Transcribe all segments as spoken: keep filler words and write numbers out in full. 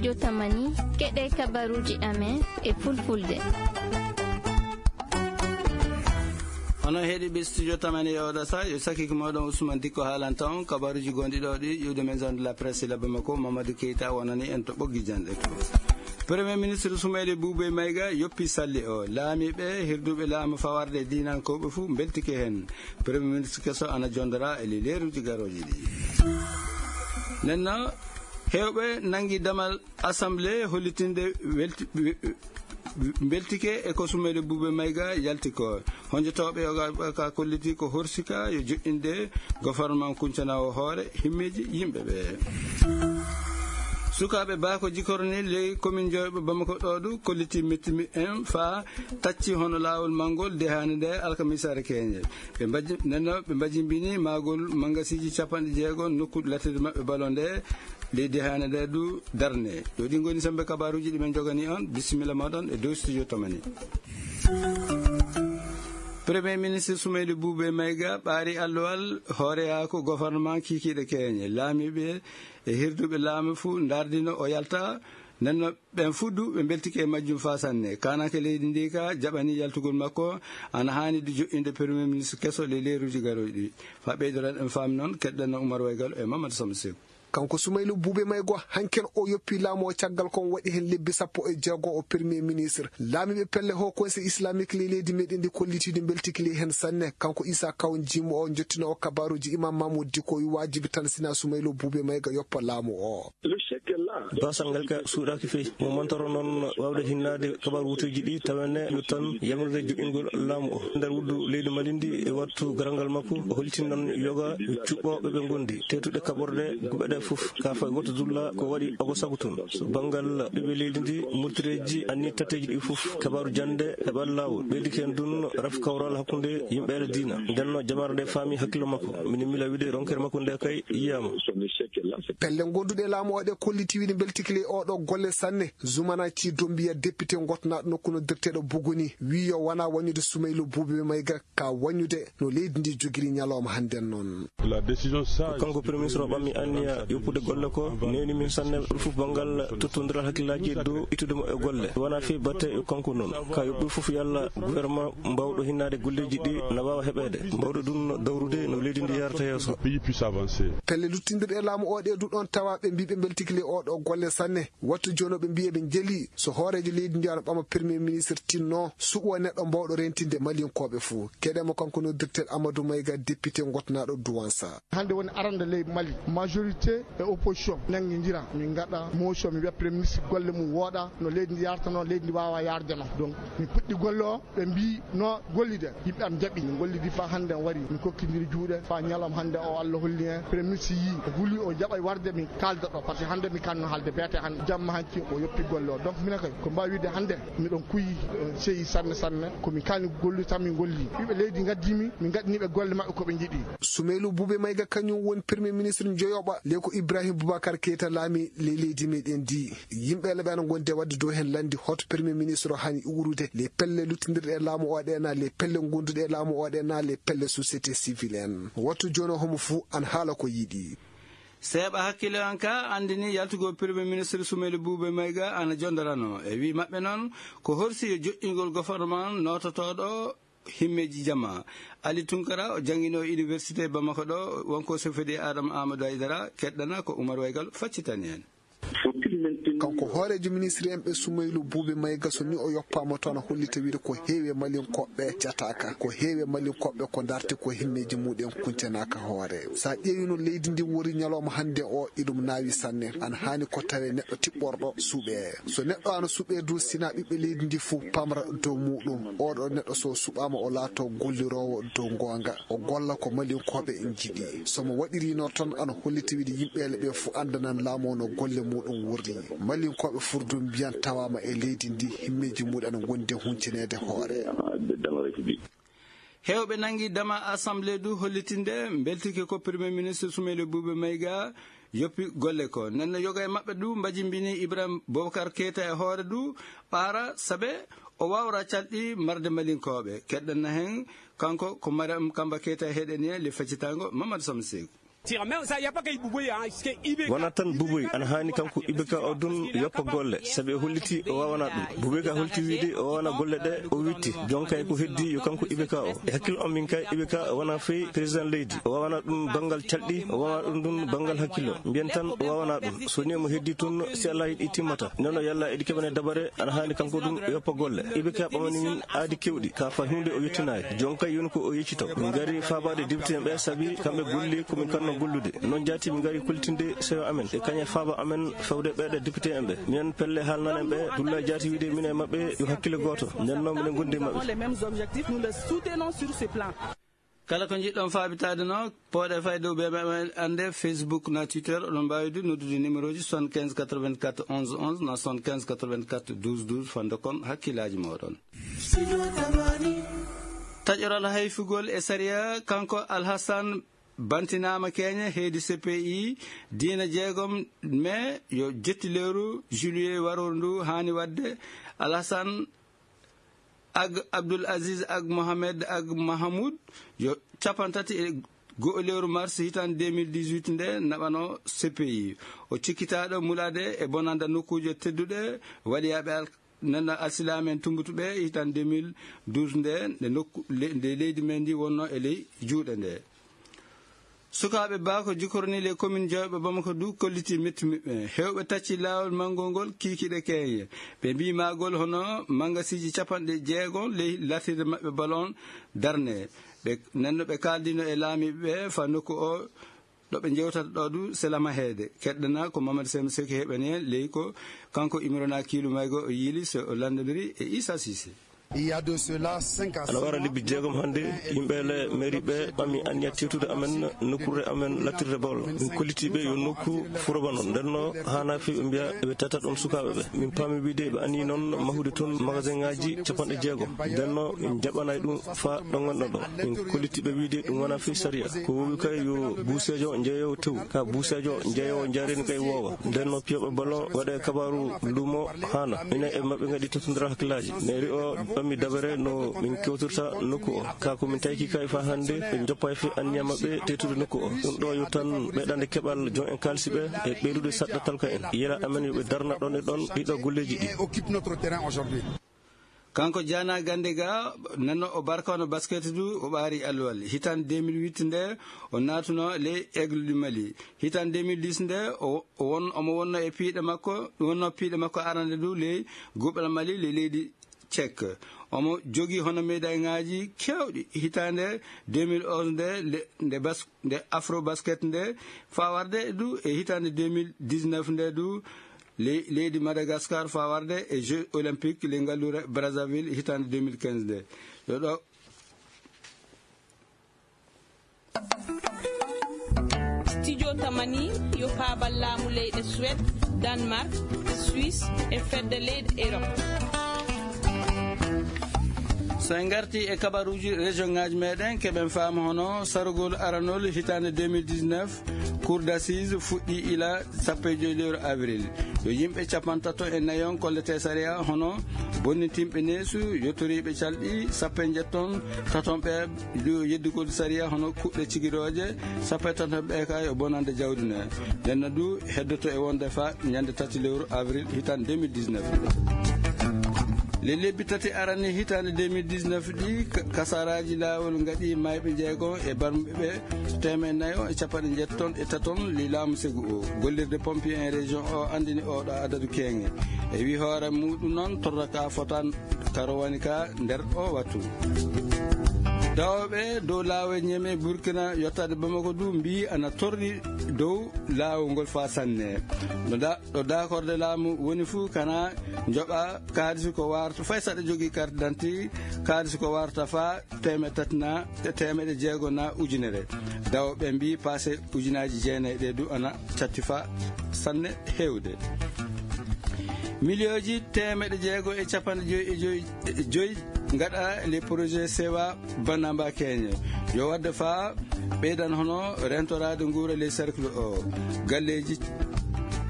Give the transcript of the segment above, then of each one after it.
Yo tamani, keɗe kabaruji amen e fulfulde. Onon heɗiɓe studio tamani e oɗo sa, yo sakiki moɗon Ousmane Dikko haalanta on kabaruji gonɗi ɗo ɗi iwde maison de la presse labba makko Mamadou Keita wonani en to ɓoggi janɗe ko. Premier ministre Soumaïla Boubé Maïga yoppi salli o. Laamiiɓe, hirduɓe laamu fawarde e diinankoɓe fuu mbeltike heen. Premier ministre keso ana jondora e leeruuji garooji ɗi. Nenno, heewɓe nangi damal assemblée hollitinde welti-, mbeltike e ko Soumaïla Boubé Maïga yalti ko. Honjotooɓe yoga ka kolliti ko horsika yo joƴƴinde gouvernement kuncana o hoore himmeeji yimɓe ɓe. Sukaaɓe Bako Jikoro ni ley commune Dioyɓe Bamako ɗo ɗu kolliti mettimi en fa tacci hono laawol manngol dehane nde alkamisaare keñe. Ɓe mbaji-, nenno ɓe mbajimbini maagol mangasiji capanɗe jeego nokku lattirde maɓɓe balo nde leydi hane nde du darne. Ɗo ɗi ngoni sembe kabaruji ɗi men jogani on. Bisimilla moɗon e dow studio tamani. Premier ministre Soumaïla Boubé Maïga ɓaari allowal hooreyaaku gouvernement kikiiɗe keeñe. Laamiiɓe e hirduɓe laamu fuu ndardino o yalta. Nenno ɓen fuu du ɓe mbeltike e majjum faa sanne. Kaananke leydi ndi ka jaɓani yaltugol makko ana haani du joƴƴinde premier ministre keso le leeruuji garooji ɗi. Faa ɓeydoren en faami noon, keɗɗen no Oumar Waygal e Mamadou Samba Sekou. Kanko Soumaïla Boubé Maïga hanken o yoppi laamu o caggal kon waɗi hen lebbi sappo e jeego o premier ministre. Laamiiɓe pelle Haut Conseil Islamique ley leydi meɗen ndi kollitiiɗo mbeltiki ley hen sanne. Kanko Issa Kaw Jimo o jottino o kabaruji Imam Mahmoud Diko wi waajibi tan sina Soumaïla Boubé Maïga yoppa laamu o. Basal ngal ka suuɗaaki fey. Mo mantoro noon waawde hinnaade kabaru wutuuji ɗi tawene yo tan yamrude joƴƴingol laamu o. Nder wuddu leydi Mali ndi e wattu garal ngal makko, o hollitin noon yoga cuɓɓooɓe ɓe ngondi teetuɗe kaɓorde guɓe ɗe fof. Ka fay woto dulla ko waɗi ogo sabu toon. So banngal ɓiɓɓe leydi ndi, murtireeji anni tatteeji ɗi fof, kabaru jannde heɓal laawol. Ɓeydike en dun raf kawral hakkunde yimɓe e diina. Ndenno jamaare nde faami hakkillo makko. Mini mila wiide ronkere makko nde kay yiyaama. Pelle gonduɗe laamu o ɗe kolliti wiide mbeltiki ley oɗo golle sanne. Zumana Ci Dombiya, député gotnaɗo nokku no directeur Buguni, wi yo wona wañude Soumaïla Boubé Maïga ka wañude no leydi ndi jogiri ñalawma hannden noon. La décision sage. Ko kanko Premier Ministre o ɓammi anniya yoppude golle ko, newni min sanne ɗum fof banngal tottondiral hakkillaaji e dow ittude mo e golle. Wona fii batte yo kanko noon. Ka yoɓ ɗum fof yalla gouvernement mbawɗo hinnaade golleeji ɗi na waawa heɓeede. Mbawɗo ɗum dawrude no leydi ndi yaarata yeeso. Pays puisse avancer. Pelle luttindirɗe e laamu o ɗe du ɗon tawa ɓe mbiɓe mbeltikile oɗo golle sanne. Wattu jooni ɓe mbiya ɓe njeli so hooreejo leydi ndi ana ɓama Premier Ministre tinno suɓo neɗɗo mbawɗo rentinde Malinkooɓe fuu. Keɗemo kanko no directeur Amadou Maïga, député gotnaɗo Douansa. Hannde woni arande ley Mali, majorité e opposition nangi njira. Min ngaɗa motion, mi wiya Premier Ministre golle mum wooɗa, no leydi ndi yarata noon, leydi ndi waawa yarde noon. Donc, min puɗɗi golle o, ɓe mbi no gollide, yimɓe am jaɓi. Min gollidi faa hannde o wari, min kokkindiri juuɗe, faa ñalawma hannde o Allah holli en. Premier Ministre yii, o huli, o jaɓay warde, min kaalda ɗo, parce que hannde mi kanno haalde beete hannde, jamma hanki o yoppi golle o. Donc, minen kay, ko mbaawi wiide hannde, miɗon kuyi, on seyi sanne sanne, ko min kaalni gollude tan min golli. Ɓiɓɓe leydi ngaddimi, min ngaɗini ɓe golle maɓɓe ko ɓe njiɗi. Soumaïla Boubé Maïga kañum woni Premier Ministre joyoɓa, ley ko Ibrahim Boubacar Keita laami ley leydi meɗen ndi. Yimɓe le ɓe ana gondi e waɗde dow hen lanndi hoto Premier Ministre o hani uwrude, les pelle luttindirɗe e laamu o ɗe na, les pelle gonduɗe e laamu o ɗe na, les pelle société civile en. Wattu jooni o homo fuu ana haala ko yiɗi. Seeɓa hakkille an ka anndini yaltugol Premier Ministre Soumaïla Boubé Maïga ana jondorano. E wi maɓɓe noon, ko horsi e joƴƴingol gouvernement noototooɗo himmeeji jama. Ali Tunkara, o janngino université Bamako ɗo, wonko sofidi Adama Amadou Aydara, keɗɗana ko Oumar Waygal faccitani en. Kanko hooreejo ministre en ɓe Soumaïla Boubé Maïga so ni o yoppaama toon a hollita wiide ko heewi e Malinkoɓe jataaka, ko heewi e Malinkoɓe ko darti ko himmeeji muɗen kuncanaaka hoore. Sa ƴeewi no leydi ndi wori ñalawma hannde o, iɗum naawi sanne. Ana haani ko tawe neɗɗo tiɓɓorɗo suuɓe. So neɗɗo ana suuɓe du sina ɓiɓɓe leydi ndi fof pamra dow muɗum. Oɗo neɗɗo so suɓaama o laato golliroowo dow goonga. O golla ko Malinkoɓe njiɗi. So mo waɗirino tan ana holliti wiide yimɓeele ɓe fof anndanan laamu o no golle muɗum wurri. Malinkoɓe furdum mbiyan tawaama e leydi ndi himmeeji muɗum ana gondi e huncinede hoore. Heewɓe nangi dama assemblée du hollitinde mbeltike ko Premier Ministre Soumaïla Boubé Maïga yoppi golle ko. Nenno yoga e maɓɓe du mbajimbini Ibrahim Boubacar Keita e hoore du ɓaara sabe o wawra calɗi marde Malinkoɓe. Keɗɗen na hen kanko ko Mariam Kamba Keita heɗen e le faccitango Mamadou Samsek. Wonaa tan Buboy ana haani kanko Ibeka o ɗum yoppa golle, sabi o holliti o waawanaa ɗum. Buboy ka holti wiyde o waawanaa golle ɗe, o witti. Jonkay ko heddi yo kanko Ibeka o. E hakkille am min kay, Ibeka wonaa fey président leydi. O waawanaa ɗum banngal calɗi, o waawanaa ɗum ɗum banngal hakkille. Mbiyen tan o waawanaa ɗum. So ni omo heddi tun, si Allah yiɗi timmata. Nono yalla eɗi keɓane dabare, ana haani kanko ɗum yoppa golle. Ibeka ɓamani min aadi kewɗi, ka fa huunde o yettinaay. Jonkay yoni ko o yeccito. Min ngari faabaade député en ɓe, sabi kamɓe golli ko min kanno gollude. Noon jaati min ngari kollitinde sewo amen e kañe faaba amen fewde ɓeeɗe député en ɓe. Minen pelle haalnan en ɓe, Dulla jaati wiide min e maɓɓe yo hakkille gooto. Nden noon minen ngondi e maɓɓe. Kala ko njiɗɗon faabitaade no, pooɗe fay dow ɓe meɗen annde Facebook na Twitter, oɗon mbaawi du noddude numéro ji soixante-quinze quatre-vingt-quatre onze onze na soixante-quinze quatre-vingt-quatre douze douze, fande kon hakkillaaji mooɗon. Taƴoral hayfugol e sariya, kanko Alhassan bantinaama keeñe heedi C P I, diina jeegom mai yo jetti lewru juillet warooru ndu haani waɗde. Alhassan ak Abdul Aziz ak Mohamed ak Mahamoud yo capantati e go'o lewru mars hitaande deux mille dix-huit nde naɓano C P I. O cikkitaaɗo mulaade e bonanda nokkuuje tedduɗe, waliyaaɓe al-, nana alsilaamen tumbutuɓe hitaande deux mille douze nde, nde nokku, le-, nde leydi men ndi wonno e ley juuɗe nde. Sukaaɓe ba ko jikorni les communes jawɓe Bamako du kolliti metti muɓɓe. Hewɓe tacci laawol manngol ngol kiikiɗe keeñe. Ɓe mbii maagol hono mangasiiji capanɗe jeego ley latirde maɓɓe ballon darne. Ɓe, nenno ɓe kaaldino e laamiiɓe ɓe fa nokku o ɗo ɓe njewtata ɗo du sela maheede. Keɗɗana ko Mamadou Sem Seki heɓani en ley ko kanko Imrana Kiilu Maygo o yiili so o lanndondiri e Issa Cissé. Il y a de cela cinq à six mois, ana wara lebbi jeegom hannde, yimɓe le mairie ɓe ɓami anniya tewtude amen nokkuure amen lattirde bol. Min kolliti ɓe yo nokku furoba noon. Nden no haana fi ɓe mbiya ɓe tata ɗon sukaaɓe ɓe. Min paami wiide ɓe anni noon mahude toon magasin ŋaaji capanɗe jeegom. Nden no min jaɓanay ɗum fa ɗo ngonɗon ɗo. Min kolliti ɓe wiide ɗum wona fi sariya. Ko wowi kay yo buuseejo njeeyo tew. Ka buuseejo njeeyo njaareni kay woowa. Nden no piyoɓe ballon waɗe kabaaru luumo haana. Minen e maɓɓe ngaɗi totondira hakkillaaji. Mairie o ɓammi dabere no min kewtirta nokku o. Ka ko min tawki kay fa hannde ɓe njoppay fi anniya maɓɓe tewtude nokku o. Ɗum ɗo yo tan ɓeydande keɓal joom en kaalisi ɓe e ɓeydude saɗɗatal ka en. Yela amen yo ɓe darna ɗon e ɗon ɗiɗo golleeji ɗi. Occupe notre terrain aujourd'hui. Kanko Jana Gandega, nanno o barkano basket du, o ɓaari alluwal. Hitaande deux mille huit nde, o naatuno ley Aigle du Mali. Hitaande deux mille dix nde, o, o won, omo wonno e piiɗe makko, wonno piiɗe makko arande du ley Gobel Mali, ley leydi Tchèque. Omo jogi hono médaille ŋaaji kewɗi. Hitaande deux mille onze nde, le, nde bas-, nde Afro Basket nde, faa warde du e hitaande deux mille dix-neuf nde du, ley-, leydi Madagascar faa warde e Jeux Olympiques ley ngalluure Brazzaville hitaande deux mille quinze nde. Yo ɗo. Studio Tamani yo paabal laamu leyɗe Suède, Danemark, Suisse e fedde leyɗe Europe. So en ngarti e kabaruuji région ŋaaji meɗen, keɓen faama hono sarugol aranol hitaande deux mille dix-neuf, Cour d'assises fuɗɗi ila sappo e joy lewru avril. Yo yimɓe capantato e nayon kollete sariya hono bonnitinɓe neesu, yottoriiɓe calɗi sappo e njetton, taton ɓe du yeddugol sariya hono kuɗɗe cigirooje, sappo e taton ɓe ka yo bonande jawdi ne. Nden no du heddoto e wonde fa ñande tati lewru avril hitaande deux mille dix-neuf. Le lebbi tati arani hitaande deux mille dix-neuf ɗi, ka-, kasaraaji laawol ngaɗi mayɓe jeego e barmuɓe ɓe teemeɗɗe nayo e capanɗe njetton e taton li laamu segu o. Gollirde pompier en région o andini oɗo adadu keeŋe. E wi hoore muɗum noon, torraka fotan ka rowani ka nder o wattu. Dawɓe dow laawol Niamey Burkina yottaade Bamako du mbi ana torri dow laawol ngol fa sanne. No da-, ɗo dakorde laamu woni fu kana njoɓa kaalisi ko warta, fay saɗa jogii carte d'identité, kaalisi ko warta fa teemeɗɗe tati na, teemeɗɗe jeego na ujunere. Dawɓe mbi passe ujunaaji jeenayi ɗe du ana catti fa sanne heewde. Miliyooji teemeɗɗe jeego e capanɗe joyi e joyi, e joyi ngaɗa les projets sewa Banamba Kenya. Yo wadde fa ɓeydan hono rentoraade nguura ley cercle o. Galleeji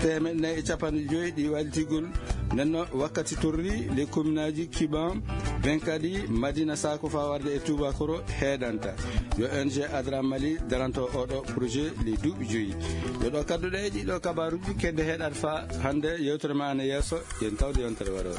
teemeɗɗe nayi e capanɗe joyi ɗi walitigol. Nden no wakkati torri ley commune aji Kiban, Ɓen kadi Madina Sako fa warde e tubakoro heɗanta. Yo O N G Adra Mali daranto oɗo projet li duuɓi joyi. Yo ɗo kadduɗe e ɗiɗo kabaruji kedde heɗat fa hande yewtere ma ana yeeso, yen tawde yontere waɗo.